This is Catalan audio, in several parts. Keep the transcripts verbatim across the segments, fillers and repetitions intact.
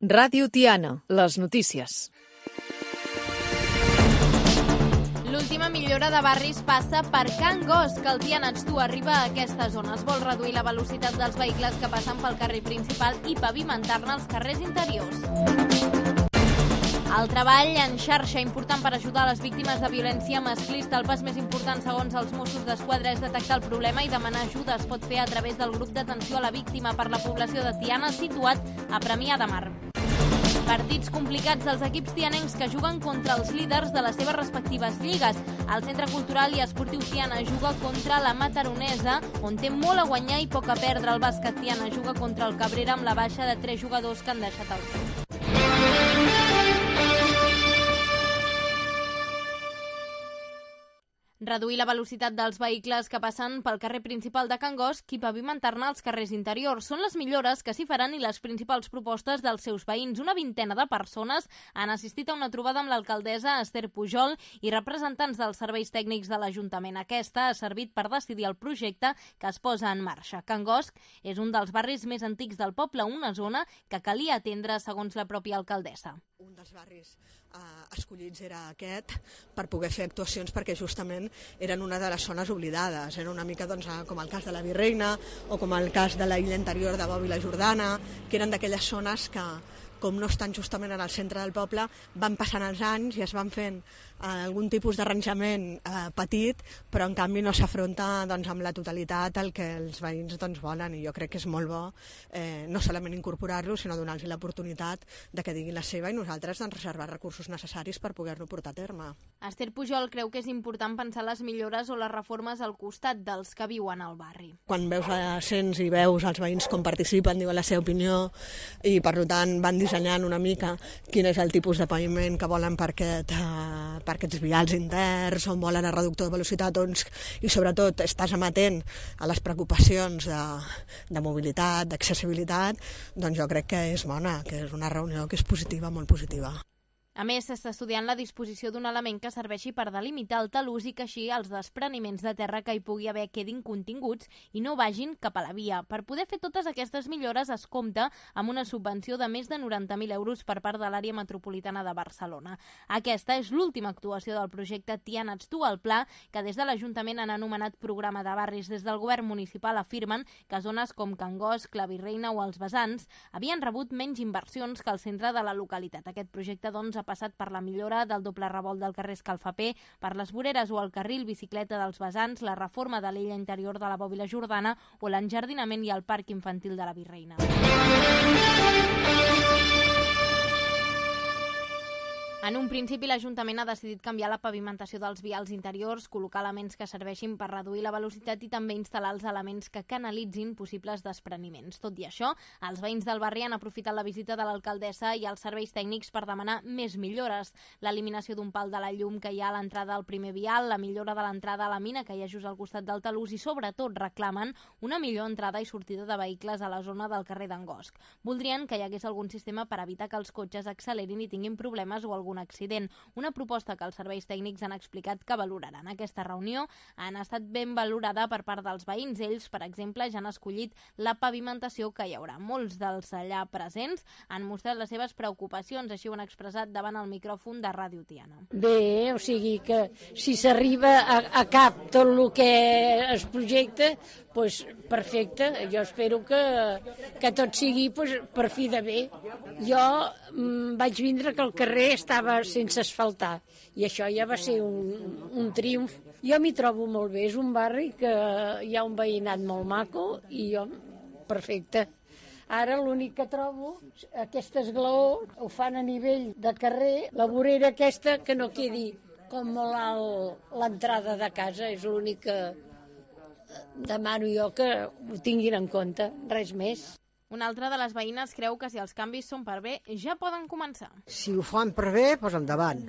Ràdio Tiana, les notícies. L'última millora de barris passa per Can Gos, que el Tiana Ets Tu arriba a aquesta zona. Es vol reduir la velocitat dels vehicles que passen pel carrer principal i pavimentar-ne els carrers interiors. El treball en xarxa important per ajudar les víctimes de violència masclista. El pas més important, segons els Mossos d'Esquadra, és detectar el problema i demanar ajuda. Es pot fer a través del grup d'atenció a la víctima per la població de Tiana, situat a Premià de Mar. Partits complicats dels equips tianencs que juguen contra els líders de les seves respectives lligues. El Centre Cultural i Esportiu Tiana juga contra la Mataronesa, on té molt a guanyar i poc a perdre. El bàsquet Tiana juga contra el Cabrera amb la baixa de tres jugadors que han deixat el club. Reduir la velocitat dels vehicles que passen pel carrer principal de Can Gos i pavimentar-ne els carrers interiors. Són les millores que s'hi faran i les principals propostes dels seus veïns. Una vintena de persones han assistit a una trobada amb l'alcaldessa Esther Pujol i representants dels serveis tècnics de l'Ajuntament. Aquesta ha servit per decidir el projecte que es posa en marxa. Can Gos és un dels barris més antics del poble, una zona que calia atendre, segons la pròpia alcaldessa. Un dels barris eh, escollits era aquest per poder fer actuacions perquè justament eren una de les zones oblidades. Era una mica doncs, com el cas de la Virreina o com el cas de la illa interior de Bòbila Jordana, que eren d'aquelles zones que, com no estan justament en el centre del poble, van passant els anys i es van fent eh, algun tipus d'arranjament eh, petit, però en canvi no s'afronta doncs, amb la totalitat el que els veïns doncs, volen, i jo crec que és molt bo eh, no solament incorporar-lo, sinó donar-los l'oportunitat de que diguin la seva i nosaltres doncs, reservar recursos necessaris per poder-lo portar a terme. Esther Pujol creu que és important pensar les millores o les reformes al costat dels que viuen al barri. Quan veus a cents i veus els veïns com participen, diuen la seva opinió i per tant van dissenyant una mica quin és el tipus de paviment que volen per, aquest, uh, per aquests vials interns, on volen el reductor de velocitat, doncs, i sobretot estàs amatent a les preocupacions de, de mobilitat, d'accessibilitat, doncs jo crec que és bona, que és una reunió que és positiva, molt positiva. A més, s'està estudiant la disposició d'un element que serveixi per delimitar el talús i que així els despreniments de terra que hi pugui haver quedin continguts i no vagin cap a la via. Per poder fer totes aquestes millores es compta amb una subvenció de més de noranta mil euros per part de l'àrea metropolitana de Barcelona. Aquesta és l'última actuació del projecte Tiana Ets Tu, el pla que des de l'Ajuntament han anomenat programa de barris. Des del govern municipal afirmen que zones com Can Gos, la Virreina o els Vessants havien rebut menys inversions que el centre de la localitat. Aquest projecte, doncs, ha passat per la millora del doble revolt del carrer Escalfaper, per les voreres o el carril bicicleta dels Vessants, la reforma de l'illa interior de la Bòbila Jordana o l'enjardinament i el parc infantil de la Virreina. En un principi, l'Ajuntament ha decidit canviar la pavimentació dels vials interiors, col·locar elements que serveixin per reduir la velocitat i també instal·lar els elements que canalitzin possibles despreniments. Tot i això, els veïns del barri han aprofitat la visita de l'alcaldessa i els serveis tècnics per demanar més millores. L'eliminació d'un pal de la llum que hi ha a l'entrada al primer vial, la millora de l'entrada a la mina que hi ha just al costat del talús i, sobretot, reclamen una millor entrada i sortida de vehicles a la zona del carrer d'en Gosc. Voldrien que hi hagués algun sistema per evitar que els cotxes accelerin i tinguin problemes o algun un accident. Una proposta que els serveis tècnics han explicat que valoraran. Aquesta reunió han estat ben valorada per part dels veïns. Ells, per exemple, ja han escollit la pavimentació que hi haurà. Molts dels allà presents han mostrat les seves preocupacions, així ho han expressat davant el micròfon de Ràdio Tiana. Bé, o sigui que si s'arriba a, a cap tot el que es projecta, doncs perfecte. Jo espero que, que tot sigui doncs, per fi de bé. Jo mm, vaig vindre que el carrer estava sense asfaltar i això ja va ser un, un triomf. Jo m'hi trobo molt bé, és un barri que hi ha un veïnat molt maco i jo, perfecte. Ara l'únic que trobo, aquest esglaó ho fan a nivell de carrer, la vorera aquesta que no quedi com molt alt l'entrada de casa, és l'únic que demano jo que ho tinguin en compte, res més. Una altra de les veïnes creu que si els canvis són per bé, ja poden començar. Si ho fan per bé, doncs endavant.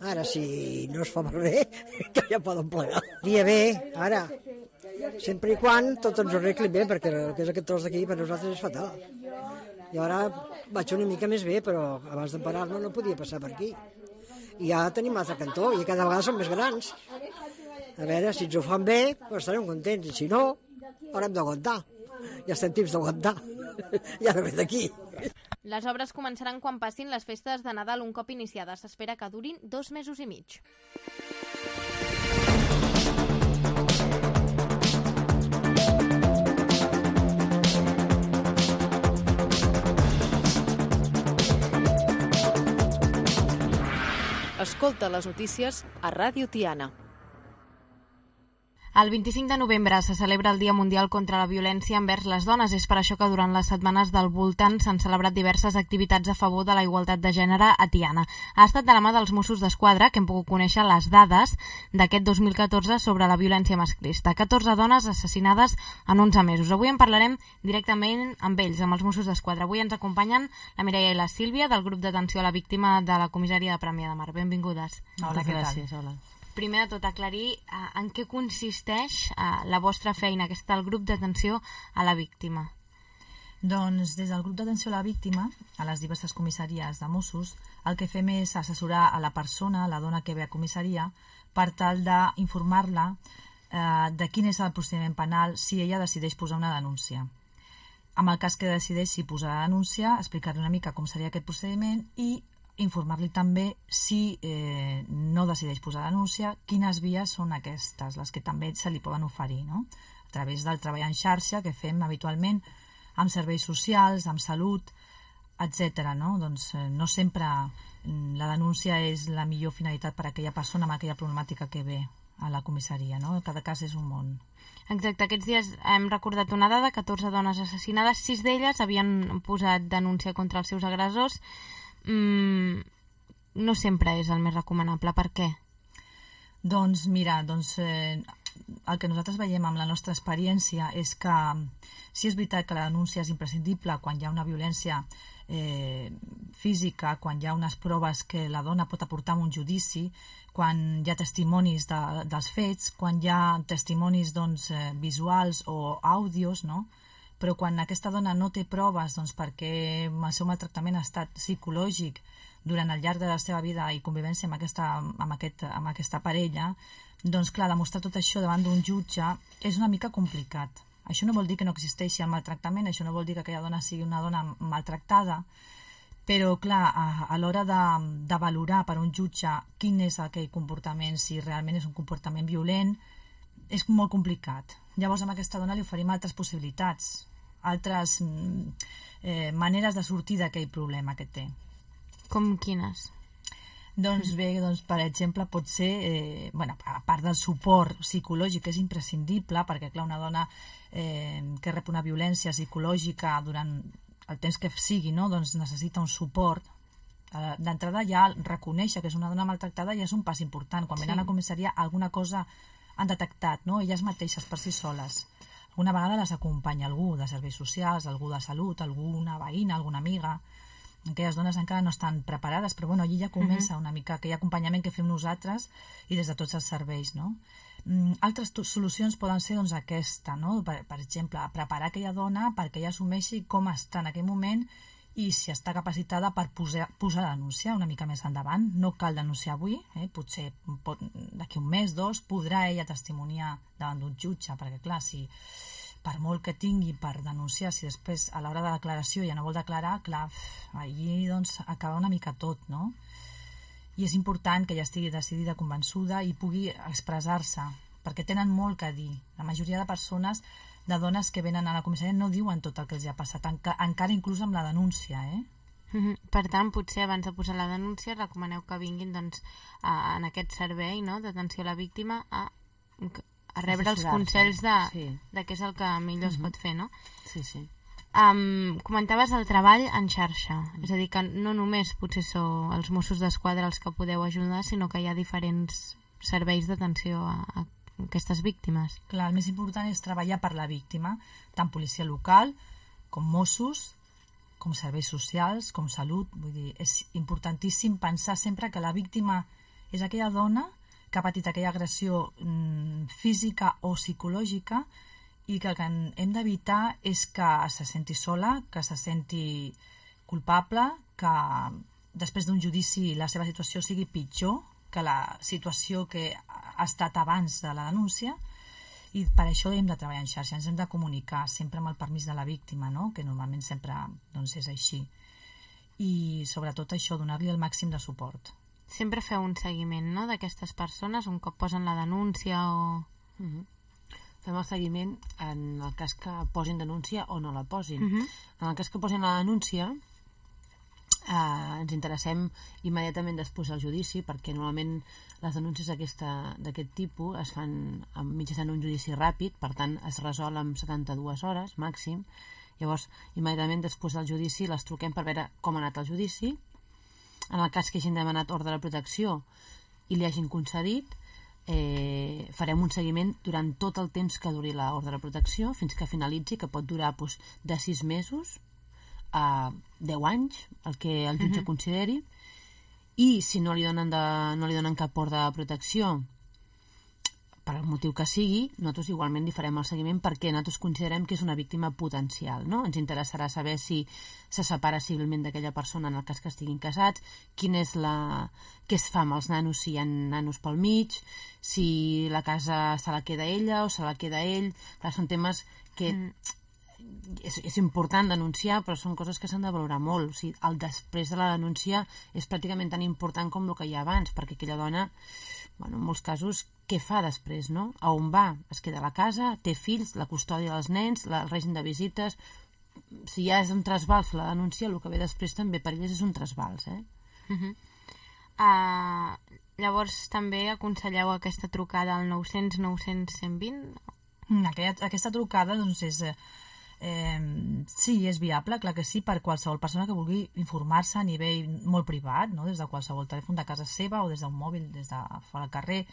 Ara, si no es fa per bé, que ja poden plegar. Dia bé, ara, sempre i quan tot ens ho arregli bé, perquè el que és aquest tros d'aquí per nosaltres és fatal. I ara vaig una mica més bé, però abans de parar-me no podia passar per aquí. I ja tenim l'altre cantó, i cada vegada són més grans. A veure, si ens ho fan bé, doncs estarem contents, i si no, haurem d'aguantar. Ja estem tips d'aguantar. Ja no ve d'aquí. Les obres començaran quan passin les festes de Nadal un cop iniciades. S'espera que durin dos mesos i mig. Escolta les notícies a Ràdio Tiana. El vint-i-cinc de novembre se celebra el Dia Mundial contra la Violència envers les dones. És per això que durant les setmanes del voltant s'han celebrat diverses activitats a favor de la igualtat de gènere a Tiana. Ha estat de la mà dels Mossos d'Esquadra que hem pogut conèixer les dades d'aquest dos mil catorze sobre la violència masclista. catorze dones assassinades en onze mesos. Avui en parlarem directament amb ells, amb els Mossos d'Esquadra. Avui ens acompanyen la Mireia i la Sílvia del grup d'atenció a la víctima de la comissaria de Premià de Mar. Benvingudes. Hola, què tal? Hola. Primer de tot, aclarir uh, en què consisteix uh, la vostra feina, aquesta del grup d'atenció a la víctima. Doncs des del grup d'atenció a la víctima, a les diverses comissaries de Mossos, el que fem és assessorar a la persona, a la dona que ve a comissaria, per tal d'informar-la eh, de quin és el procediment penal si ella decideix posar una denúncia. En el cas que decideixi posar la denúncia, explicar-li una mica com seria aquest procediment i informar-li també, si eh, no decideix posar denúncia, quines vies són aquestes, les que també se li poden oferir, no? A través del treball en xarxa que fem habitualment amb serveis socials, amb salut, etcètera. No? Doncs eh, no sempre la denúncia és la millor finalitat per a aquella persona amb aquella problemàtica que ve a la comissaria, no? Cada cas és un món. Exacte, aquests dies hem recordat una dada, catorze dones assassinades, sis d'elles havien posat denúncia contra els seus agressors. Mm, no sempre és el més recomanable. Per què? Doncs mira, doncs, eh, el que nosaltres veiem amb la nostra experiència és que sí és veritat que la denúncia és imprescindible quan hi ha una violència eh, física, quan hi ha unes proves que la dona pot aportar en un judici, quan hi ha testimonis de, dels fets, quan hi ha testimonis doncs, eh, visuals o àudios, no? Però quan aquesta dona no té proves doncs, perquè el seu maltractament ha estat psicològic durant el llarg de la seva vida i convivència amb aquesta, amb aquest, amb aquesta parella, doncs clar, demostrar tot això davant d'un jutge és una mica complicat. Això no vol dir que no existeixi el maltractament, això no vol dir que aquella dona sigui una dona maltractada, però clar, a, a l'hora de, de valorar per un jutge quin és aquell comportament, si realment és un comportament violent, és molt complicat. Llavors amb aquesta dona li oferim altres possibilitats, altres eh, maneres de sortir d'aquell problema que té. Com quines? Doncs bé, doncs, per exemple, pot ser, eh, bueno, a part del suport psicològic, que és imprescindible, perquè clar, una dona eh, que rep una violència psicològica durant el temps que sigui, no? Doncs necessita un suport. Eh, d'entrada ja reconèixer que és una dona maltractada ja és un pas important. Quan sí. Venen a la comissaria alguna cosa han detectat, no? Elles mateixes per si soles. Alguna vegada les acompanya algú de serveis socials, algú de salut, alguna veïna, alguna amiga. Aquelles dones encara no estan preparades, però bueno, allí ja comença uh-huh. una mica aquell acompanyament que fem nosaltres i des de tots els serveis, no? Mm, altres solucions poden ser doncs aquesta, no? Per, per exemple, preparar aquella dona perquè ella assumeixi com està en aquell moment i si està capacitada per posar, posar la denúncia una mica més endavant. No cal denunciar avui, eh? Potser pot, d'aquí un mes, dos, podrà ella testimoniar davant d'un jutge, perquè clar, si per molt que tingui per denunciar, si després a l'hora de la declaració ja no vol declarar, clar, allí doncs acaba una mica tot, no? I és important que ella estigui decidida, convençuda i pugui expressar-se, perquè tenen molt que dir. La majoria de persones, de dones que venen a la comissaria, no diuen tot el que els ha passat, enca, encara inclús amb la denúncia, eh? Per tant, potser abans de posar la denúncia recomaneu que vinguin doncs, a, en aquest servei, no?, d'atenció a la víctima a, a rebre els consells de, sí. de què és el que millor uh-huh. es pot fer, no? Sí, sí. Um, comentaves el treball en xarxa, uh-huh. és a dir, que no només potser sou els Mossos d'Esquadra els que podeu ajudar, sinó que hi ha diferents serveis d'atenció a, a aquestes víctimes. Clar, el més important és treballar per la víctima, tant policia local com Mossos, com serveis socials, com salut. Vull dir, és importantíssim pensar sempre que la víctima és aquella dona que ha patit aquella agressió mm, física o psicològica i que el que hem d'evitar és que se senti sola, que se senti culpable, que després d'un judici la seva situació sigui pitjor que la situació que ha estat abans de la denúncia, i per això hem de treballar en xarxa, ens hem de comunicar sempre amb el permís de la víctima, no? Que normalment sempre doncs, és així. i sobretot això, donar-li el màxim de suport. Sempre feu un seguiment, no?, d'aquestes persones, un cop posen la denúncia o... Uh-huh. Fem el seguiment en el cas que posin denúncia o no la posin. Uh-huh. En el cas que posin la denúncia, eh, ens interessem immediatament després del judici, perquè normalment les denúncies d'aquest tipus es fan mitjançant un judici ràpid, per tant es resol en setanta-dues hores màxim. Llavors, immediatament després del judici les truquem per veure com ha anat el judici. En el cas que hagin demanat ordre de protecció i li hagin concedit, eh, farem un seguiment durant tot el temps que duri l'ordre de protecció fins que finalitzi, que pot durar doncs, de sis mesos a deu anys, el que el jutge uh-huh. consideri, i si no li donen, de, no li donen cap ordre de protecció per el motiu que sigui, nosaltres igualment li farem el seguiment perquè nosaltres considerem que és una víctima potencial, no? Ens interessarà saber si se separa civilment d'aquella persona en el cas que estiguin casats, quin és la... què es fa amb els nanos, si hi ha nanos pel mig, si la casa se la queda ella o se la queda ell. Clar, són temes que mm. és, és important denunciar, però són coses que s'han de valorar molt. O sigui, el després de la denúncia és pràcticament tan important com el que hi ha abans, perquè aquella dona, bueno, en molts casos, què fa després, no? A on va? Es queda a la casa, té fills, la custòdia dels nens, la, el règim de visites... Si ja és un trasbals la denúncia, el que ve després també per elles és un trasbals, eh? Uh-huh. uh, llavors també aconselleu aquesta trucada al nou cents nou cents cent vint? Aquella, aquesta trucada, doncs, és... Eh, sí, és viable, clar que sí, per qualsevol persona que vulgui informar-se a nivell molt privat, no? Des de qualsevol telèfon de casa seva o des d'un mòbil, des de fora al carrer.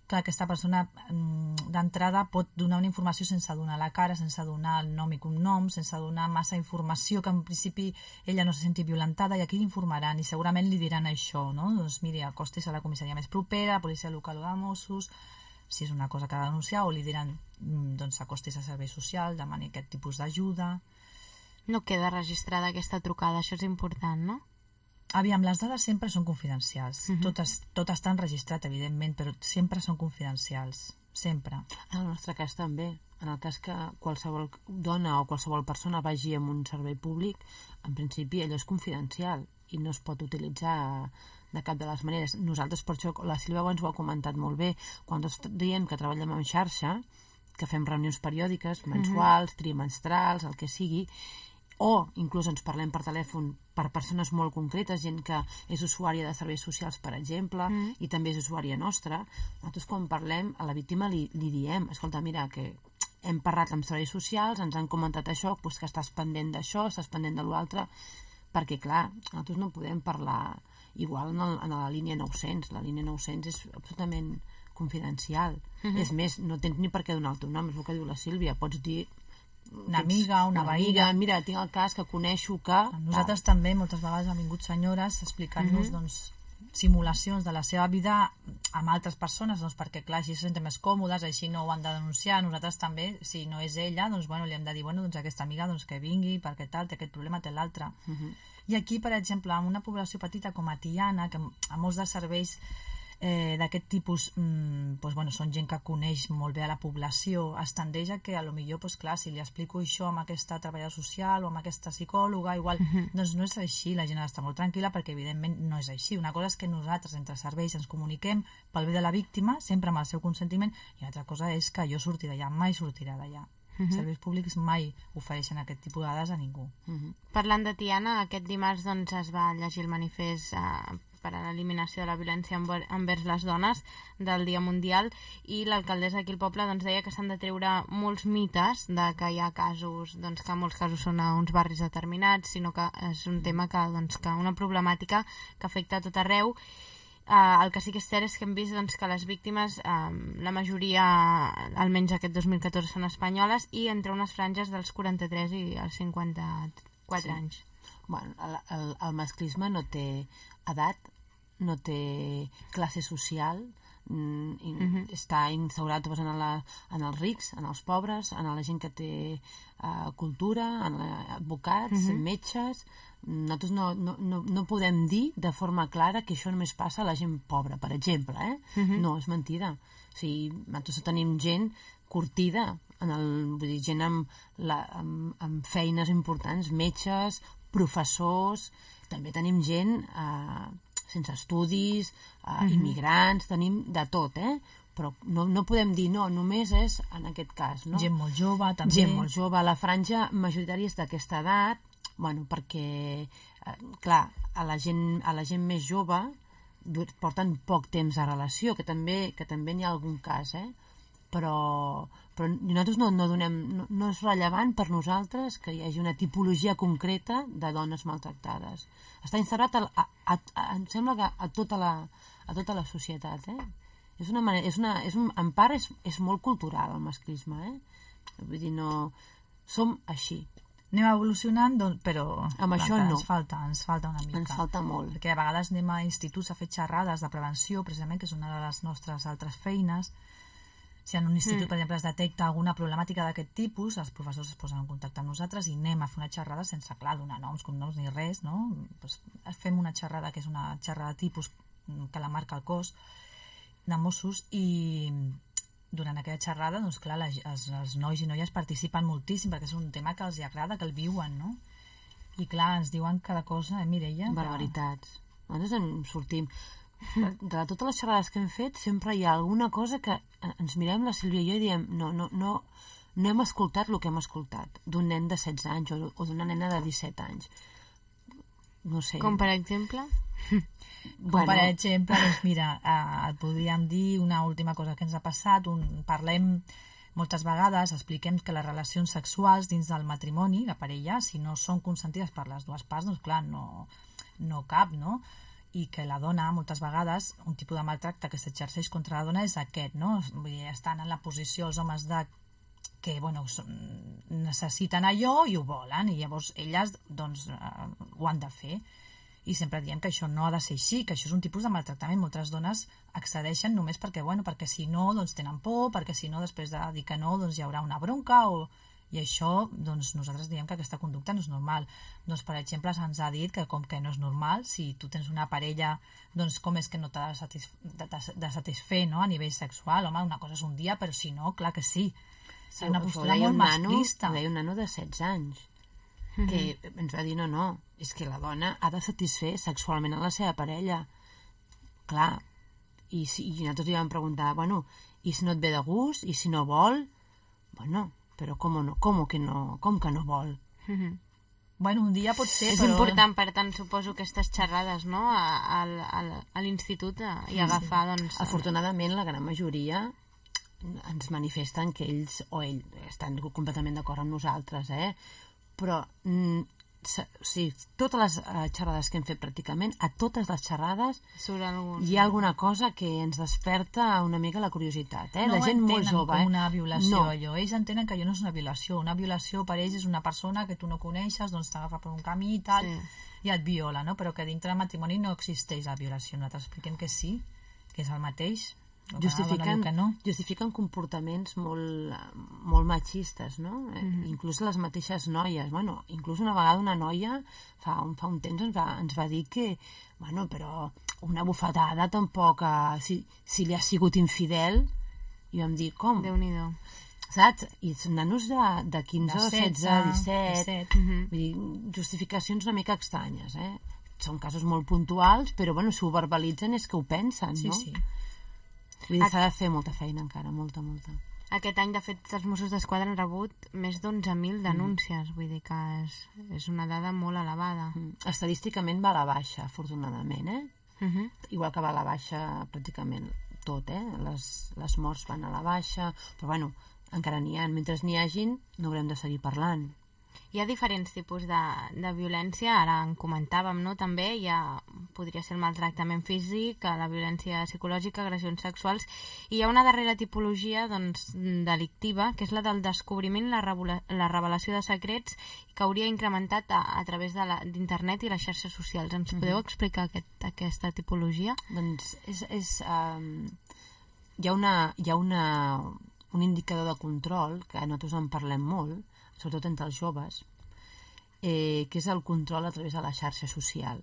Clar, aquesta persona d'entrada pot donar una informació sense donar la cara, sense donar el nom i cognom, sense donar massa informació que en principi ella no se senti violentada, i aquí l'informaran i segurament li diran això, no? Doncs miri, acostis a la comissaria més propera, policia local o de Mossos, si és una cosa que ha de denunciar, o li diran doncs acostis a servei social, demani aquest tipus d'ajuda. No queda registrada aquesta trucada, això és important, no? Aviam, les dades sempre són confidencials. Uh-huh. Tot, tot està enregistrat, evidentment, però sempre són confidencials. Sempre. En el nostre cas també. En el cas que qualsevol dona o qualsevol persona vagi a un servei públic, en principi allò és confidencial i no es pot utilitzar de cap de les maneres. Nosaltres, per això, la Sílvia ens ho ha comentat molt bé, quan tots diem que treballem en xarxa, que fem reunions periòdiques, mensuals, uh-huh. trimestrals, el que sigui, o inclús ens parlem per telèfon per persones molt concretes, gent que és usuària de serveis socials, per exemple, mm. i també és usuària nostra. Nosaltres quan parlem a la víctima li, li diem, escolta, mira, que hem parlat amb serveis socials, ens han comentat això, doncs que estàs pendent d'això, estàs pendent de l'altre, perquè clar, nosaltres no podem parlar igual en, el, en la línia nou-cents. La línia nou-cents és absolutament confidencial. Mm-hmm. És més, no tens ni per què donar el teu nom, és el que diu la Sílvia, pots dir una amiga, una, una veïna. Mira, tinc el cas que coneixo que... Nosaltres tal. També moltes vegades han vingut senyores explicant-nos uh-huh. doncs, simulacions de la seva vida amb altres persones, doncs, perquè clar, així se senten més còmodes, així no ho han de denunciar. Nosaltres també, si no és ella, doncs, bueno, li hem de dir, bueno, doncs aquesta amiga doncs, que vingui, perquè tal, té aquest problema, té l'altre. Uh-huh. I aquí, per exemple, en una població petita com a Tiana, que a molts de serveis Eh, d'aquest tipus mm, doncs, bueno, són gent que coneix molt bé a la població, es tendeix a que a lo millor, doncs, clar, si li explico això amb aquesta treballadora social o amb aquesta psicòloga, igual, uh-huh. doncs no és així, la gent ha d'estar molt tranquil·la perquè evidentment no és així. Una cosa és que nosaltres entre serveis ens comuniquem pel bé de la víctima, sempre amb el seu consentiment, i una altra cosa és que jo surti d'allà, mai sortirà d'allà. Uh-huh. Serveis públics mai ofereixen aquest tipus de dades a ningú. Uh-huh. Parlant de Tiana, aquest dimarts doncs, es va llegir el manifest eh, per a l'eliminació de la violència envers les dones del Dia Mundial, i l'alcaldessa d'aquí al poble doncs, deia que s'han de treure molts mites de que hi ha casos, doncs, que molts casos són a uns barris determinats, sinó que és un tema que, doncs, que una problemàtica que afecta a tot arreu. Uh, el que sí que és cert és que hem vist doncs, que les víctimes, uh, la majoria, almenys aquest dos mil catorze, són espanyoles, i entre unes franges dels quaranta-tres i els cinquanta-quatre sí. anys. Bueno, el, el, el masclisme no té edat, no té classe social, mm, i uh-huh. està instaurat en, la, en els rics, en els pobres, en la gent que té uh, cultura, en la, advocats, uh-huh. metges. Nosaltres no, no, no, no podem dir de forma clara que això només passa a la gent pobra, per exemple, eh? Uh-huh. No, és mentida. O sigui, nosaltres tenim gent curtida, en el, vull dir, gent amb, la, amb, amb feines importants, metges, professors, també tenim gent eh, sense estudis, eh, mm-hmm. immigrants, tenim de tot, eh? Però no, no podem dir no, només és en aquest cas, no? Gent molt jove, també. Gent molt jove. La franja majoritària és d'aquesta edat, bueno, perquè, eh, clar, a la, gent, a la gent més jove porten poc temps de relació, que també, que també n'hi ha algun cas, eh? Però, però nosaltres no, no donem, no, no és rellevant per nosaltres que hi hagi una tipologia concreta de dones maltractades. Està instaurat a, a, a, a, em sembla que a tota la, a tota la societat, eh? És una manera, és una, és un, en part és, és molt cultural el masclisme, eh? Vull dir, no... Som així. Anem evolucionant, doncs, però amb això no. Ens falta, ens falta una mica. Ens falta molt. Perquè a vegades anem a instituts a fer xerrades de prevenció, precisament, que és una de les nostres altres feines. Si en un institut, mm. per exemple, es detecta alguna problemàtica d'aquest tipus, els professors es posen en contacte amb nosaltres i anem a fer una xerrada sense, clar, donar noms, cognoms ni res, no? Pues fem una xerrada que és una xerrada tipus que la marca el cos de Mossos i durant aquella xerrada, doncs clar, les, els, els nois i noies participen moltíssim perquè és un tema que els agrada, que el viuen, no? I clar, ens diuen cada cosa, eh, Mireia? Barbaritats. Que... Nosaltres en sortim. De totes les xerrades que hem fet, sempre hi ha alguna cosa que ens mirem, la Sílvia i jo, i diem no, no, no, no hem escoltat el que hem escoltat d'un nen de setze anys o, o d'una nena de disset anys. No sé. Com per exemple? Com bueno. Per exemple, doncs mira, eh, et podríem dir una última cosa que ens ha passat. Un, parlem moltes vegades, expliquem que les relacions sexuals dins del matrimoni, la parella, si no són consentides per les dues parts, doncs clar, no, no cap, no? I que la dona, moltes vegades, un tipus de maltracte que s'exerceix contra la dona és aquest, no? Vull dir, estan en la posició els homes de que, bueno, necessiten allò i ho volen, i llavors elles, doncs, eh, ho han de fer. I sempre diem que això no ha de ser així, que això és un tipus de maltractament. Moltes dones accedeixen només perquè, bueno, perquè si no, doncs tenen por, perquè si no, després de dir que no, doncs hi haurà una bronca, o... i això, doncs nosaltres diem que aquesta conducta no és normal. Doncs, per exemple, se'ns ha dit que com que no és normal, si tu tens una parella, doncs com és que no t'ha de, satisf de, de satisfer, no?, a nivell sexual. Home, una cosa és un dia, però si no, clar que sí. És una postura molt masclista. Ho deia un nano de setze anys, que ens va dir, no, no, és que la dona ha de satisfer sexualment a la seva parella. Clar, i, si, i nosaltres li vam preguntar, bueno, i si no et ve de gust, i si no vol? Bueno, però com no, com que no, com que no vol? Mm-hmm. Bueno, un dia pot ser, és però... important, per tant, suposo, aquestes xerrades, no?, a, a, a l'institut i agafar, sí, doncs... Afortunadament, la gran majoria ens manifesten que ells o ell estan completament d'acord amb nosaltres, eh? Però mm, o sigui, totes les uh, xerrades que hem fet pràcticament, a totes les xerrades algun... hi ha alguna cosa que ens desperta una mica la curiositat, eh? No la gent molt jove, com eh? una violació, no. allò. Ells entenen que allò no és una violació. Una violació per ells és una persona que tu no coneixes, doncs t'agafa per un camí i tal, sí, i et viola, no? Però que dintre del matrimoni no existeix la violació. Nosaltres expliquem que sí, que és el mateix. Justifiquen, no. justifiquen comportaments molt, molt machistes, no? Mm-hmm. Inclús les mateixes noies. Bueno, inclús una vegada una noia fa un, fa un temps ens va, ens va dir que, bueno, però una bufetada tampoc, eh, si, si li ha sigut infidel, i vam dir, com? Déu-n'hi-do. Saps? I són nanos de, de quinze, de setze, disset, disset. Mm-hmm. Vull dir, justificacions una mica estranyes, eh? Són casos molt puntuals, però bueno, si ho verbalitzen és que ho pensen, sí, no? Sí, sí. Vull dir, s'ha de fer molta feina encara, molta, molta. Aquest any, de fet, els Mossos d'Esquadra han rebut més d'onze mil denúncies, mm. vull dir que és, és una dada molt elevada. Mm. Estadísticament va a la baixa, afortunadament, eh? Mm-hmm. Igual que va a la baixa pràcticament tot, eh? Les, les morts van a la baixa, però bueno, encara n'hi ha. Mentre n'hi hagin, no haurem de seguir parlant. Hi ha diferents tipus de, de violència, ara en comentàvem, no? També hi ha, podria ser el maltractament físic, la violència psicològica, agressions sexuals, i hi ha una darrera tipologia, doncs, delictiva, que és la del descobriment, la, la revelació de secrets, que hauria incrementat a, a través d'internet i les xarxes socials. Ens podeu mm-hmm. explicar aquest, aquesta tipologia? Doncs és... és um, hi ha, una, hi ha una, un indicador de control, que nosaltres en parlem molt, sobretot entre els joves, eh, que és el control a través de la xarxa social,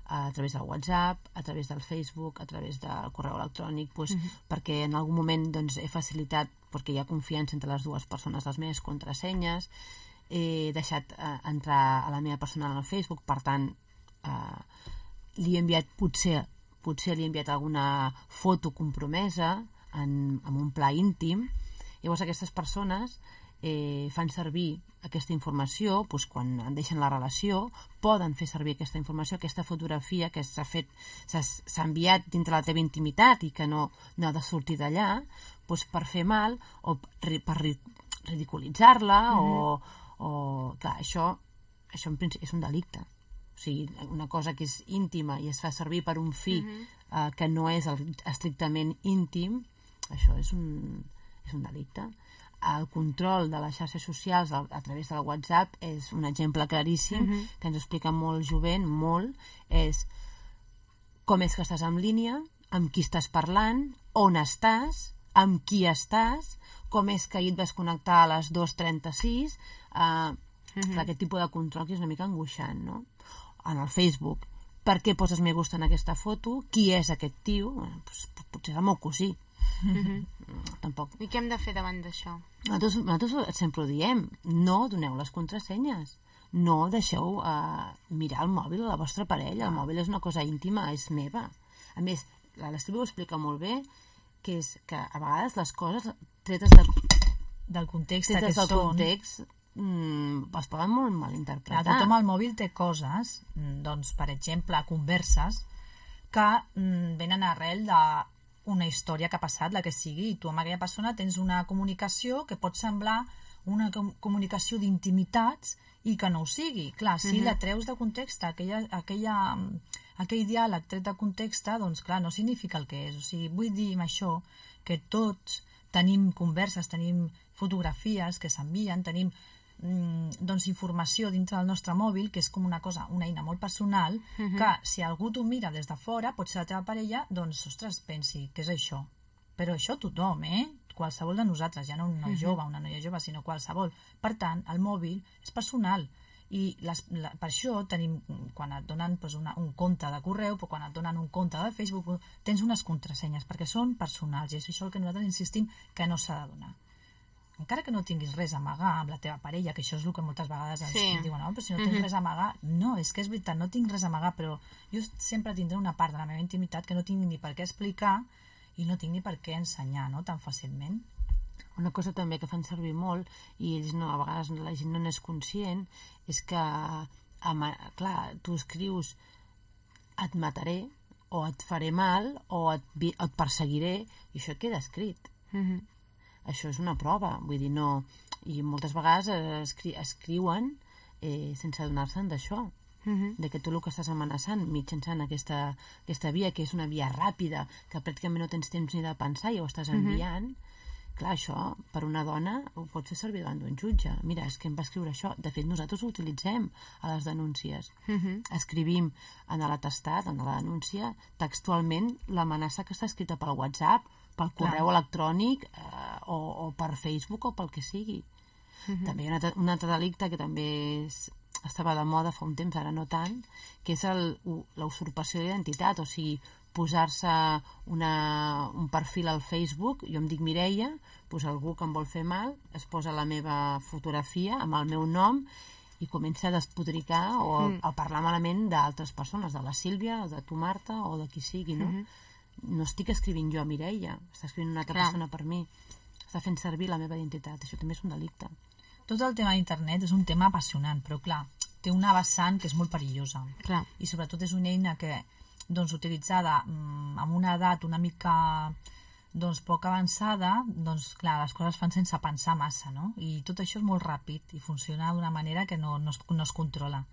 a través del WhatsApp, a través del Facebook, a través del correu electrònic, doncs, uh-huh. perquè en algun moment doncs, he facilitat, perquè hi ha confiança entre les dues persones, les meves contrasenyes, he deixat eh, entrar a la meva personal al Facebook, per tant, eh, li he enviat, potser, potser li he enviat alguna foto compromesa en, en un pla íntim. Llavors aquestes persones eh, fan servir aquesta informació, doncs quan en deixen la relació, poden fer servir aquesta informació, aquesta fotografia que s'ha fet, s'ha enviat dintre la teva intimitat i que no, no ha de sortir d'allà, doncs per fer mal o per ridiculitzar-la mm-hmm. o, o clar, això, això en principi és un delicte. O sigui, una cosa que és íntima i es fa servir per un fi mm-hmm. eh, que no és el, estrictament íntim, això és un, és un delicte. El control de les xarxes socials a, a través del WhatsApp és un exemple claríssim mm-hmm. que ens explica molt jovent, molt, és com és que estàs en línia, amb qui estàs parlant, on estàs, amb qui estàs, com és que ahir et vas connectar a les dues trenta-sis, eh, mm-hmm. aquest tipus de control que és una mica angoixant, no? En el Facebook, per què poses me gusta en aquesta foto, qui és aquest tio, bueno, doncs, potser és el meu cosí. Mm-hmm. Tampoc. I què hem de fer davant d'això? Nosaltres, nosaltres sempre ho diem, no doneu les contrasenyes, no deixeu uh, mirar el mòbil a la vostra parella, el mòbil és una cosa íntima, és meva. A més, l'Estília ho explica molt bé, que és que a vegades les coses tretes de, del context tretes que del són context mm, es poden molt mal interpretar. Clar, tothom al mòbil té coses, doncs, per exemple, converses que mm, venen arrel de una història que ha passat, la que sigui, i tu amb aquella persona tens una comunicació que pot semblar una com comunicació d'intimitats i que no ho sigui. Clar, si uh-huh. la treus de context, aquella, aquella, aquell diàleg tret de context, doncs clar, no significa el que és. O sigui, vull dir amb això que tots tenim converses, tenim fotografies que s'envien, tenim doncs informació dintre del nostre mòbil, que és com una cosa, una eina molt personal, uh-huh. que si algú t'ho mira des de fora, pot ser la teva parella, doncs, ostres, pensi, què és això? Però això tothom, eh? Qualsevol de nosaltres, ja no un noi uh-huh. jove, una noia jove, sinó qualsevol. Per tant, el mòbil és personal i les, la, per això tenim, quan et donen doncs, una, un compte de correu, però quan et donen un compte de Facebook, tens unes contrasenyes, perquè són personals, i és això el que nosaltres insistim que no s'ha de donar. Encara que no tinguis res a amagar amb la teva parella, que això és el que moltes vegades ens sí. diuen, no, però si no tens uh-huh. res a amagar, no, és que és veritat, no tinc res a amagar, però jo sempre tindré una part de la meva intimitat que no tinc ni per què explicar i no tinc ni per què ensenyar, no?, tan fàcilment. Una cosa també que fan servir molt, i ells no, a vegades la gent no n'és conscient, és que, ama, clar, tu escrius et mataré, o et faré mal, o et, o et perseguiré, i això queda escrit. Mhm. Això és una prova, vull dir, no... I moltes vegades escri escriuen eh, sense adonar-se'n d'això, uh-huh. de que tu el que estàs amenaçant mitjançant aquesta, aquesta via, que és una via ràpida, que pràcticament no tens temps ni de pensar i ho estàs enviant, uh-huh. clar, això, per una dona, ho pots fer servir davant d'un jutge. Mira, és que em va escriure això. De fet, nosaltres ho utilitzem a les denúncies. Uh-huh. Escrivim en l'atestat, en la denúncia, textualment l'amenaça que està escrita pel WhatsApp, pel correu Clar. electrònic eh, o, o per Facebook o pel que sigui. Uh-huh. També hi ha un altre delicte que també és, estava de moda fa un temps, ara no tant, que és la usurpació d'identitat, o sigui, posar-se una, un perfil al Facebook, jo em dic Mireia, doncs algú que em vol fer mal es posa la meva fotografia amb el meu nom i comença a despodricar o a, a parlar malament d'altres persones, de la Sílvia, o de tu Marta, o de qui sigui, no? Uh-huh. No estic escrivint jo a Mireia, està escrivint una altra Clar. persona per mi, està fent servir la meva identitat, això també és un delicte. Tot el tema d'internet és un tema apassionant, però clar, té una vessant que és molt perillosa. Clar. I sobretot és una eina que, doncs, utilitzada mm, amb una edat una mica doncs, poc avançada, doncs clar, les coses fan sense pensar massa, no? I tot això és molt ràpid i funciona d'una manera que no, no, es, no es controla.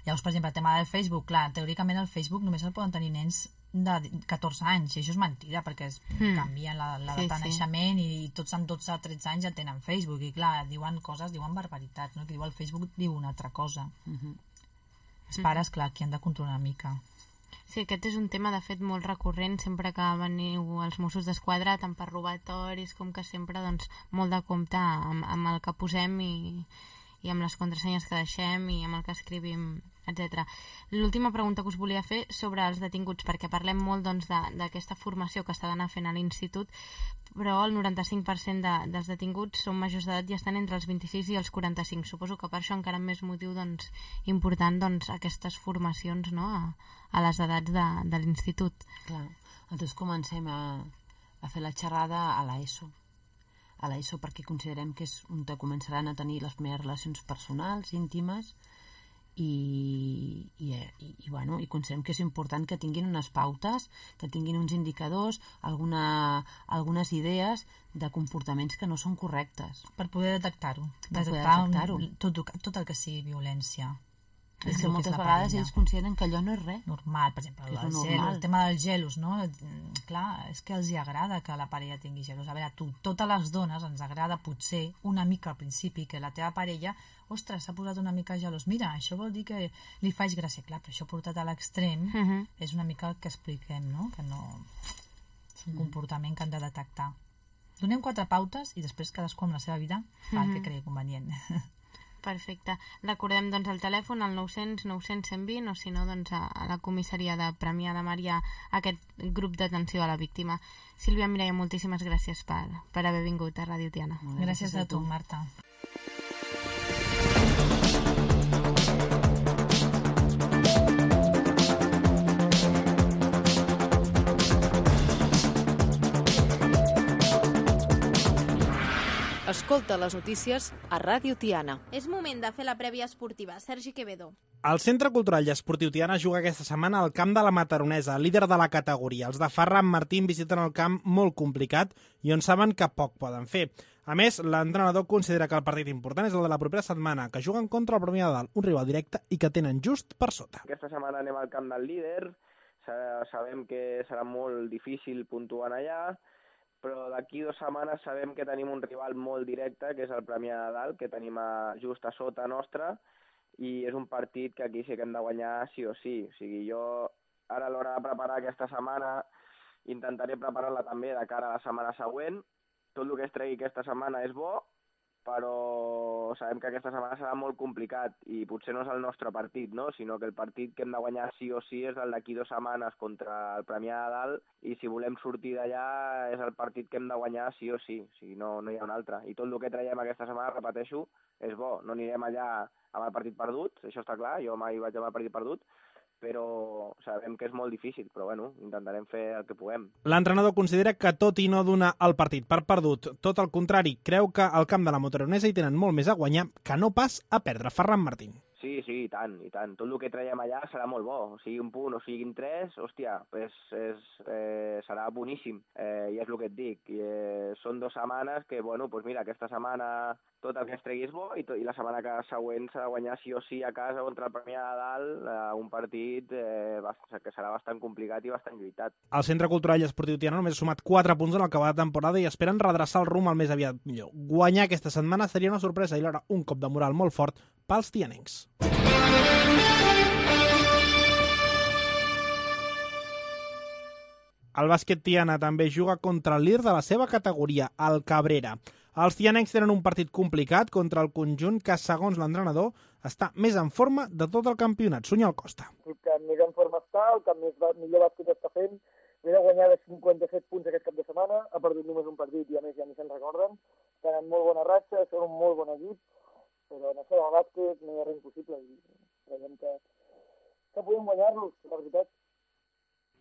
Llavors, per exemple, el tema del Facebook, clar, teòricament el Facebook només el poden tenir nens de catorze anys, i això és mentida perquè es mm. canvien la, la data sí, de naixement sí. i tots amb dotze o tretze anys ja tenen Facebook i clar, diuen coses, diuen barbaritats, no? Que diu el Facebook diu una altra cosa. Mm-hmm. Els pares, clar, qui han de controlar una mica. Sí, aquest és un tema de fet molt recurrent sempre que veniu els Mossos d'Esquadra, tant per robatoris com que sempre doncs, molt de compte amb, amb el que posem i, i amb les contrasenyes que deixem i amb el que escrivim, etcètera. L'última pregunta que us volia fer sobre els detinguts, perquè parlem molt doncs, d'aquesta formació que està d'anar fent a l'institut, però el noranta-cinc per cent de, dels detinguts són majors d'edat i estan entre els vint-i-sis i els quaranta-cinc. Suposo que per això encara amb més motiu doncs, important doncs, aquestes formacions, no?, a, a les edats de, de l'institut. Clar, nosaltres comencem a, a fer la xerrada a l'ESO, a l'ESO perquè considerem que és on començaran a tenir les primeres relacions personals, íntimes, i, i, i, i, bueno, i considerem que és important que tinguin unes pautes, que tinguin uns indicadors, alguna, algunes idees de comportaments que no són correctes. Per poder detectar-ho. Per poder detectar detectar-ho. Tot, tot el que sigui violència. És que moltes vegades ells consideren que allò no és res. Normal, per exemple, el, gel, el tema dels gelos, no? Clar, és que els hi agrada que la parella tingui gelos. A veure, tu, totes les dones ens agrada potser una mica al principi que la teva parella, ostres, s'ha posat una mica gelos. Mira, això vol dir que li faig gràcia. Clar, però això portat a l'extrem uh -huh. és una mica el que expliquem, no? Que no... és un uh -huh. comportament que han de detectar. Donem quatre pautes i després cadascú amb la seva vida fa el que cregui convenient. Perfecte. Recordem doncs el telèfon al nou cents nou cents cent vint o si no doncs a, a la comissaria de Premià de Mar hi ha aquest grup d'atenció a la víctima. Sílvia Mireia, moltíssimes gràcies per, per haver vingut a Ràdio Tiana. Gràcies, gràcies a tu, Marta. Escolta les notícies a Ràdio Tiana. És moment de fer la prèvia esportiva. Sergi Quevedo. El Centre Cultural i Esportiu Tiana juga aquesta setmana al camp de la Mataronesa, líder de la categoria. Els de Ferran Martín visiten el camp molt complicat i on saben que poc poden fer. A més, l'entrenador considera que el partit important és el de la propera setmana, que juguen contra el Premià de Dalt, un rival directe i que tenen just per sota. Aquesta setmana anem al camp del líder, sabem que serà molt difícil puntuant allà, però d'aquí dues setmanes sabem que tenim un rival molt directe, que és el Premià de Dalt, que tenim a, just a sota nostra, i és un partit que aquí sí que hem de guanyar sí o sí. O sigui, jo ara a l'hora de preparar aquesta setmana intentaré preparar-la també de cara a la setmana següent. Tot el que es tregui aquesta setmana és bo, però sabem que aquesta setmana serà molt complicat i potser no és el nostre partit, no? Sinó que el partit que hem de guanyar sí o sí és el d'aquí dues setmanes contra el Premià de Dalt i si volem sortir d'allà és el partit que hem de guanyar sí o sí, o sigui, no, no hi ha un altre. I tot el que traiem aquesta setmana, repeteixo, és bo. No anirem allà amb el partit perdut, això està clar, jo mai vaig amb el partit perdut, però sabem que és molt difícil, però bueno, intentarem fer el que puguem. L'entrenador considera que tot i no donar el partit per perdut, tot el contrari, creu que al camp de la Mataronesa hi tenen molt més a guanyar que no pas a perdre. Ferran Martín. Sí, sí, i tant, i tant. Tot el que traiem allà serà molt bo. O sigui un punt o siguin tres, hòstia, pues és, eh, serà boníssim. Eh, I és el que et dic. I, eh, són dues setmanes que, bueno, pues mira, aquesta setmana tot el que es tregui és bo i, to, i la setmana que següent s'ha de guanyar sí o sí a casa contra el Premià de Dalt, eh, un partit eh, que serà bastant complicat i bastant lluitat. El Centre Cultural i Esportiu Tiana només ha sumat quatre punts en el que va de temporada i esperen redreçar el rumb el més aviat millor. Guanyar aquesta setmana seria una sorpresa i alhora un cop de moral molt fort pels tianencs. El bàsquet Tiana també juga contra el líder de la seva categoria, el Cabrera. Els tianencs tenen un partit complicat contra el conjunt que, segons l'entrenador, està més en forma de tot el campionat. Sunyol Costa. El que més en forma està, el que més millor bàsquet està fent, ve de guanyar de cinquanta-set punts aquest cap de setmana, ha perdut només un partit i a més ja ni se'n recorden. Tenen molt bona ratxa, són un molt bon equip, però en això del bàsquet no hi ha res impossible i creiem que, que podem guanyar-los, la veritat.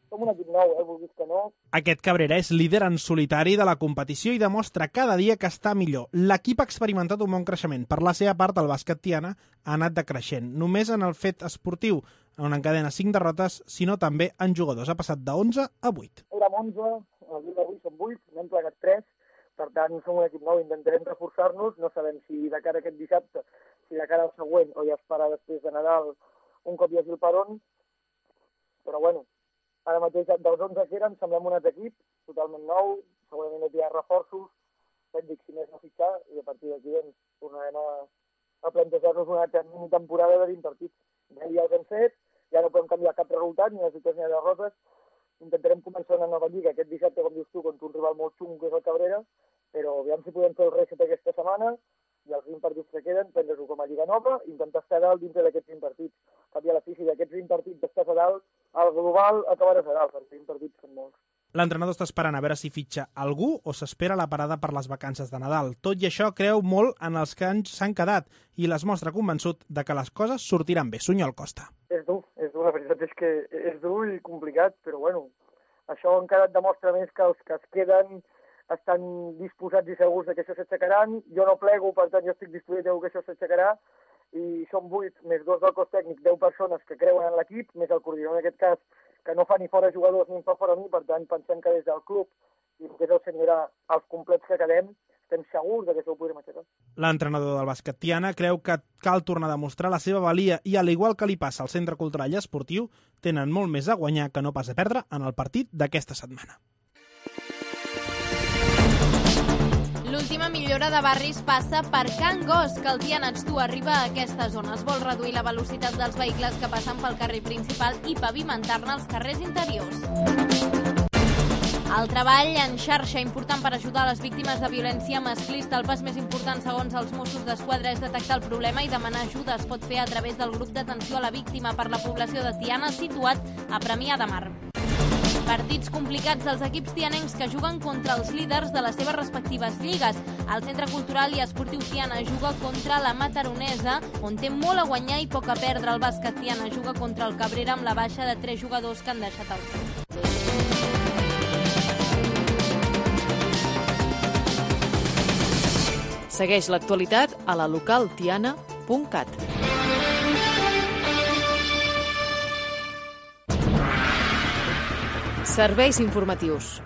Som un equip nou, eh, vulguis que no. Aquest Cabrera és líder en solitari de la competició i demostra cada dia que està millor. L'equip ha experimentat un bon creixement. Per la seva part, el bàsquet Tiana ha anat decreixent. Només en el fet esportiu, on encadena cinc derrotes, sinó també en jugadors. Ha passat de onze a vuit. Érem onze, el dia d'avui som vuit, n'hem plegat tres, per tant som un equip nou, intentarem reforçar-nos, no sabem si de cara a aquest dissabte, si de cara al següent o ja es farà després de Nadal un cop hi hagi el peron, però bueno, ara mateix dels onze que eren semblem un altre equip, totalment nou, segurament no hi ha reforços, ja et dic, si més no fitxar, i a partir d'aquí doncs, tornarem a, a plantejar-nos una altra mini temporada de vint partits. Ja, ja els hem fet, ja no podem canviar cap resultat, ni les victòries ni les derrotes, intentarem començar una nova lliga aquest dissabte, com dius tu, contra un rival molt xungo que és el Cabrera, però aviam si podem fer el reset aquesta setmana, i els vint partits que queden, prendre-s'ho com a Lliga Nova i intentar estar a dalt dintre d'aquests vint partits. Cap i a la fi, si d'aquests vint partits estàs a dalt, el global acabaràs a dalt, perquè vint partits són molts. L'entrenador està esperant a veure si fitxa algú o s'espera la parada per les vacances de Nadal. Tot i això creu molt en els que s'han quedat i les mostra convençut de que les coses sortiran bé. Sunyol Costa. És dur, és dur, la veritat és que és dur i complicat, però bueno, això encara et demostra més que els que es queden estan disposats i segurs de que això s'aixecaran. Jo no plego, per tant jo estic disposat que això s'aixecarà i són vuit més dos del cos tècnic, deu persones que creuen en l'equip, més el coordinador en aquest cas, que no fa ni fora jugadors ni en fa fora mi, per tant pensem que des del club i el que és el senyor els complets que quedem, estem segurs que això ho podrem aixecar. L'entrenador del bàsquet Tiana creu que cal tornar a demostrar la seva valia i, al igual que li passa al Centre Cultural i Esportiu, tenen molt més a guanyar que no pas a perdre en el partit d'aquesta setmana. L'última millora de barris passa per Can Gos, que el Tiana Xtua arriba a aquesta zona. Es vol reduir la velocitat dels vehicles que passen pel carrer principal i pavimentar-ne els carrers interiors. El treball en xarxa important per ajudar les víctimes de violència masclista. El pas més important, segons els Mossos d'Esquadra, és detectar el problema i demanar ajuda. Es pot fer a través del grup d'atenció a la víctima per la població de Tiana, situat a Premià de Mar. Partits complicats dels equips tianencs que juguen contra els líders de les seves respectives lligues. El Centre Cultural i Esportiu Tiana juga contra la Mataronesa, on té molt a guanyar i poc a perdre. El bàsquet Tiana juga contra el Cabrera amb la baixa de tres jugadors que han deixat el club. Segueix l'actualitat a la local tiana punt cat. Serveis informatius.